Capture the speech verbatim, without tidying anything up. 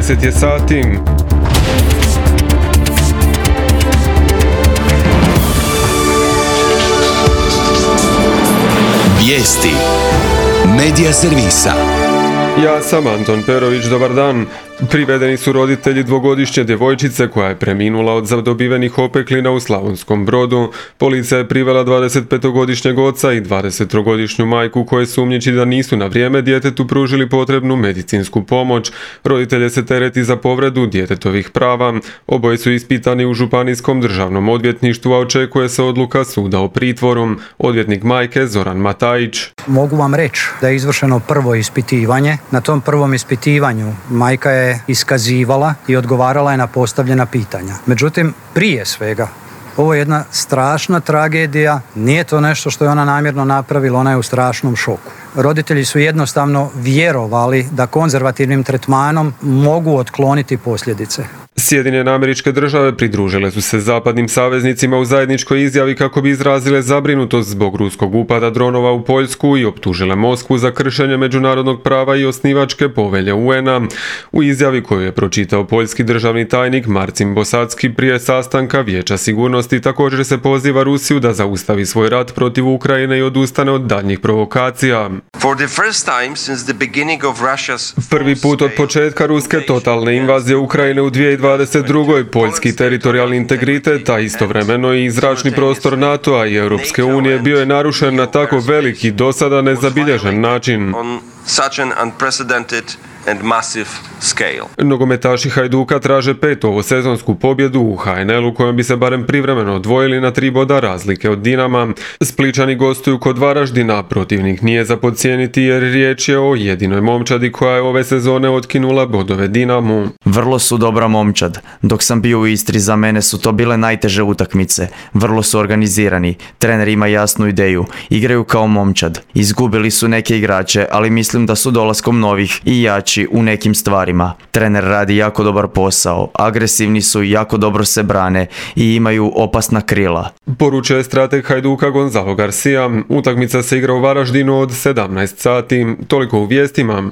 deset je sati. Vijesti Medija servisa. Ja sam Anton Perović, dobar dan. Privedeni su roditelji dvogodišnje djevojčice koja je preminula od zadobivenih opeklina u Slavonskom Brodu. Policija je privela dvadesetpetogodišnjeg oca i dvadesettrogodišnju majku koje sumnjiči da nisu na vrijeme djetetu pružili potrebnu medicinsku pomoć. Roditelje se tereti za povredu djetetovih prava. Oboje su ispitani u Županijskom državnom odvjetništvu, a očekuje se odluka suda o pritvoru. Odvjetnik majke Zoran Matajić. Mogu vam reći da je izvršeno prvo ispitivanje. Na tom prvom ispitivanju majka je iskazivala i odgovarala je na postavljena pitanja. Međutim, prije svega, ovo je jedna strašna tragedija, nije to nešto što je ona namjerno napravila, ona je u strašnom šoku. Roditelji su jednostavno vjerovali da konzervativnim tretmanom mogu otkloniti posljedice. Sjedinjene Američke Države pridružile su se zapadnim saveznicima u zajedničkoj izjavi kako bi izrazile zabrinutost zbog ruskog upada dronova u Poljsku i optužile Moskvu za kršenje međunarodnog prava i osnivačke povelje U N A. U izjavi koju je pročitao poljski državni tajnik Marcin Bosacki prije sastanka Vijeća sigurnosti također se poziva Rusiju da zaustavi svoj rat protiv Ukrajine i odustane od daljnjih provokacija. Prvi put od početka ruske totalne invazije Ukrajine u dvije tisuće dvadeset druge poljski teritorijalni integritet, a istovremeno i zračni prostor NATO-a i Europske unije bio je narušen na tako veliki, do sada nezabilježen način. Nogometaši Hajduka traže petu ovosezonsku pobjedu u H N L-u kojom bi se barem privremeno odvojili na tri boda razlike od Dinama. Splićani gostuju kod Varaždina, protivnik nije za podcijeniti jer riječ je o jedinoj momčadi koja je ove sezone otkinula bodove Dinamu. Vrlo su dobra momčad. Dok sam bio u Istri, za mene su to bile najteže utakmice. Vrlo su organizirani. Trener ima jasnu ideju. Igraju kao momčad. Izgubili su neke igrače, ali mislim da su dolaskom novih i jači u nekim stvarima. Trener radi jako dobar posao, agresivni su i jako dobro se brane i imaju opasna krila. Poručuje strateg Hajduka Gonzalo Garcia. Utakmica se igra u Varaždinu od sedamnaest sati. Toliko u vijestima.